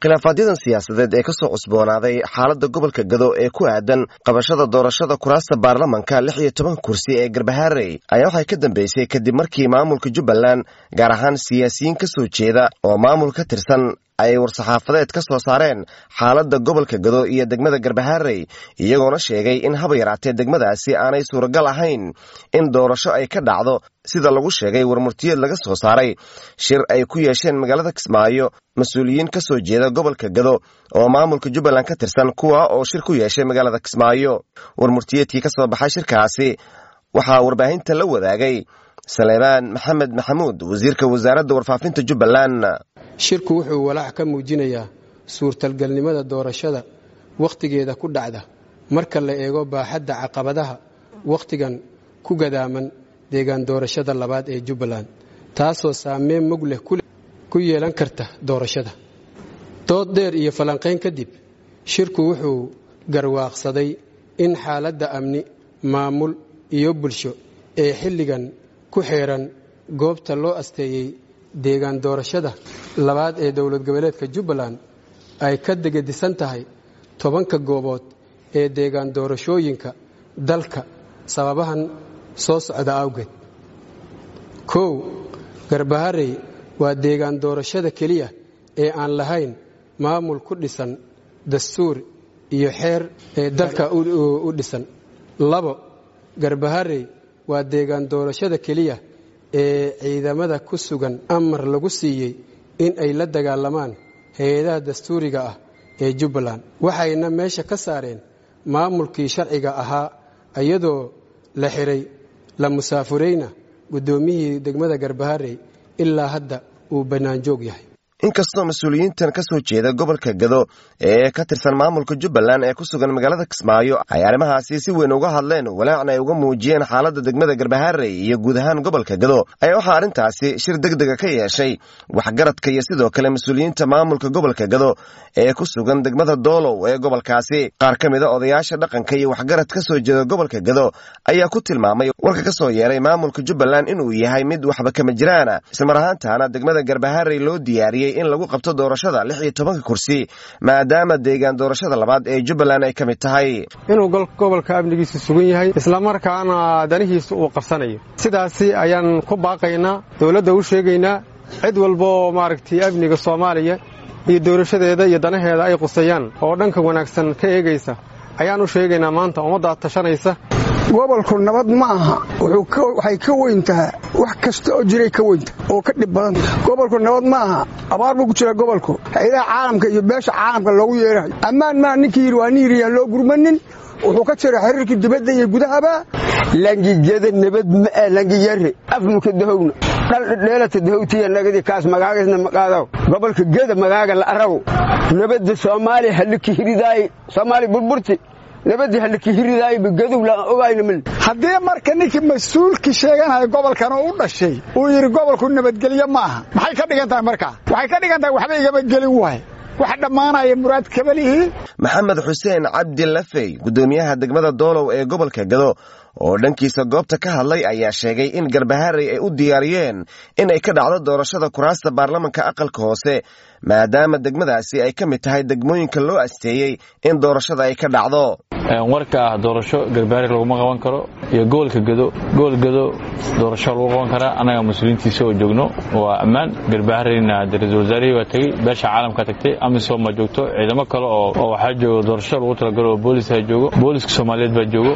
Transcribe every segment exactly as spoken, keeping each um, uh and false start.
Khilaafaadyada siyaasadeed ee kasoo cusboonaaday xaaladda gobolka Gado ee ku aadan qabashada doorashada kuraasta baarlamanka lix iyo toban kursi ee Garbaharey ayaa waxay ka dambeysay kadib markii maamulka Jubbaland, gaar ahaan siyaasiyiin ka soo jeeda oo maamul ka tirsan, ay war-saxaafadeed ka soo saareen xaaladda gobolka Gado iyo degmada Garbaharey, iyagoona sheegay in haba yaraatee degmadaasi aanay suuragal ahayn in doorasho ay ka dhacdo, sida lagu sheegay warmurtiyeed laga soo saaray shir ay ku yeesheen magaalada Kismaayo mas-uuliyiin ka soo jeeda gobolka Gado oo maamulka Jubbaland ka tirsan, kuwa oo shir ku yeeshay magaalada Kismaayo. Warmurtiyeedkii ka soo baxay shirkaasi waxaa warbaahinta la wadaagay Saleebaan Maxamed Maxamuud, wasiirka wasaaradda warfaafinta Jubbaland. Shirku wuxuu walaac ka muujinayaa suurtalgalnimada doorashada wakhtigeeda ku dhacda marka la eego baaxadda caqabadaha wakhtigan ku gadaaman deegaan doorashada labaad ee Jubbaland, taasoo saameyn mug leh ku yeelan karta doorashada. Dood dheer iyo falanqayn kadib, shirku wuxuu garwaaqsaday in xaaladda amni, maamul iyo bulsho ee xilligan ku xeeran goobta loo asteeyey deegaan doorashada labaad ee dowlad goboleedka Jubbaland ay ka degadisan tahay tobanka goobood ee deegaan doorashooyinka dalka sababahan soo socda awgeed. Kow, Garbaharey waa deegaan doorashada keliya ee aan lahayn maamul ku dhisan dastuur iyo xeer ee dalka u dhisan. Labo, Garbaharey waa deegaan doorashada keliya ee ciidamada ku sugan amar lagu siiyey in ay la dagaalamaan hay-adaha dastuuriga ah ee Jubbaland, waxayna meesha ka saareen maamulkii sharciga ahaa, iyadoo la xiray la musaafureyna guddoomiyihii degmada Garbaharey ilaa hadda uu bannaanjoog yahay. Inkastoo mas-uuliyiintan ka soo jeeda gobolka Gado ee ka tirsan maamulka Jubbaland ee ku sugan magaalada Kismaayo ay arrimahaasi si weyn uga hadleen, walaacna ay uga muujiyeen xaaladda degmada Garbaharey iyo guud ahaan gobolka Gado, ayaa waxaa arrintaasi shir degdega ka yeeshay waxgaradka iyo sidoo kale mas-uuliyiinta maamulka gobolka Gado ee ku sugan degmada Doolow ee gobolkaasi. Qaar ka mid a odayaasha dhaqanka iyo waxgarad ka soo jeeda gobolka Gado ayaa ku tilmaamay warka ka soo yeeray maamulka Jubbaland inuu yahay mid waxba kama jiraana, islamar ahaantaana degmada Garbaharey loo diyaariyey in lagu qabto doorashada lix iyo tobanka kursi, maadaama deegaan doorashada labaad ee Jubbaland ay ka mid tahay. Inuu gobolka amnigiisu sugan yahay, islamarkaana danihiisa uu qabsanayo, sidaasi ayaan ku baaqaynaa, dowladda u sheegaynaa, cid walbaoo maaragtay amniga Soomaaliya iyo doorashadeeda iyo danaheeda ay qusayaan oo dhanka wanaagsan ka eegaysa ayaan u sheegaynaa. Maanta ummaddaa tashanaysa. Gobolku nabad ma aha, waxay ka weyn tahay wax kasta oo jiray, ka weyntaha oo ka dhib badan. Gobolku nabad ma aha, abaar buu ku jira gobolku. Hay-adaha caalamka iyo beesha caalamka loogu yeerahayo ammaan maa. Ninkii yidhi waa nin yidhi yaan loo gurmanin, wuxuu ka jira xiriirkii dibadda iyo gudahaba. Langigeda nabad maa, langiyare afmuka dahowna dhaldheelata dahowtiya nagadi kaas magaagasna maqaadaw. Gobolka Geda magaaga la arago nabadda Soomaaliya haliki hiridaay, Soomaaliya burburti nabadii haliki hiridaayba gadow la ogayna mil. Haddii marka ninkii mas-uulkii sheeganaya gobolkan oo u dhashay uu yidhi gobolku nabadgelyo ma aha, maxay ka dhigan tahay markaa? Waxay ka dhigan tahay waxba igama gelin waay, wax dhammaanaya muraad kabalihii. Maxamed Xuseen Cabdi Lafey, guddoomiyaha degmada Doolow ee gobolka Gado, oo dhankiisa goobta ka hadlay ayaa sheegay in Garbaharey ay u diyaariyeen in ay ka dhacdo doorashada kuraasta baarlamanka aqalka hoose, maadaama degmadaasi ay ka mid tahay degmooyinka loo asteeyey in doorashada ay ka dhacdo. Warka ah doorasho Garbaharey laguma qaban karo iyo gobolka Gado, gobol Gado doorasho lagu qaban karaa, annaga mas-uuliyiintiisa oo joogno waa ammaan. Garbahareyna ra-iisul wasaarihii baa tegey, beesha caalamka tagtay, AMISOM baa joogto, ciidamo kale oo waxaa joogo doorasho lagu talagalo oo boolis ha joogo, booliska Soomaaliyeed baa joogo,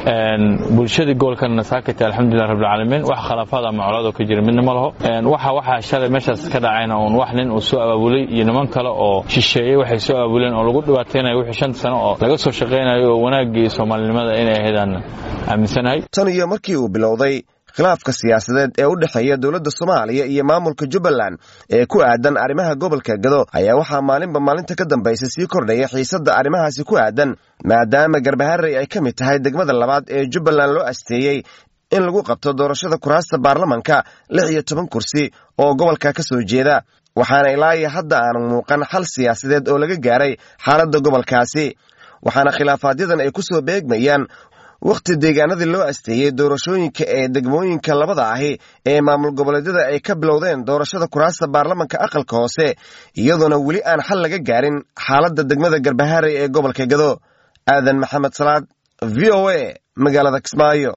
bulshadii gobolkana saakatay. Alxamdulilah rabbilcaalamiin, wax khilaafaad ama colaad oo ka jira midna ma laho. Waxa waxaa shalay meeshaas ka dhacayna uun wax nin uu soo abaabulay iyo niman kale oo shisheeyey waxay soo abaabuleen oo lagu dhibaataynayo wixii shan sano oo laga soo shaqaynayo oo wanaagii Soomaalinimada inay ahaydaan aaminsanahay. Tan iyo markii uu bilowday khilaafka siyaasadeed ee u dhexeeya dowladda Soomaaliya iyo maamulka Jubbaland ee ku aadan arrimaha gobolka Gado ayaa waxaa maalinba maalinta ka dambaysa sii kordhaya xiisadda arrimahaasi ku aadan, maadaama Garbaharey ay ka mid tahay degmada labaad ee Jubbaland loo asteeyey in lagu qabto doorashada kuraasta baarlamanka lix iyo toban kursi oo gobolka ka soo jeeda, waxaana ilaa iyo hadda aanu muuqan xal siyaasadeed oo laga gaaray xaaladda gobolkaasi, waxaana khilaafaadyaddan ay ku soo beegmayaan wakhti deegaanadii loo asteeyey doorashooyinka ee degmooyinka labada ahi ee maamul goboleedyada ay ka bilowdeen doorashada kuraasta baarlamanka aqalka hoose, iyadoona weli aan xal laga gaarin xaaladda degmada Garbaharey ee gobolka Gado. Aadan Maxamed Salaad, V O A, magaalada Kismaayo.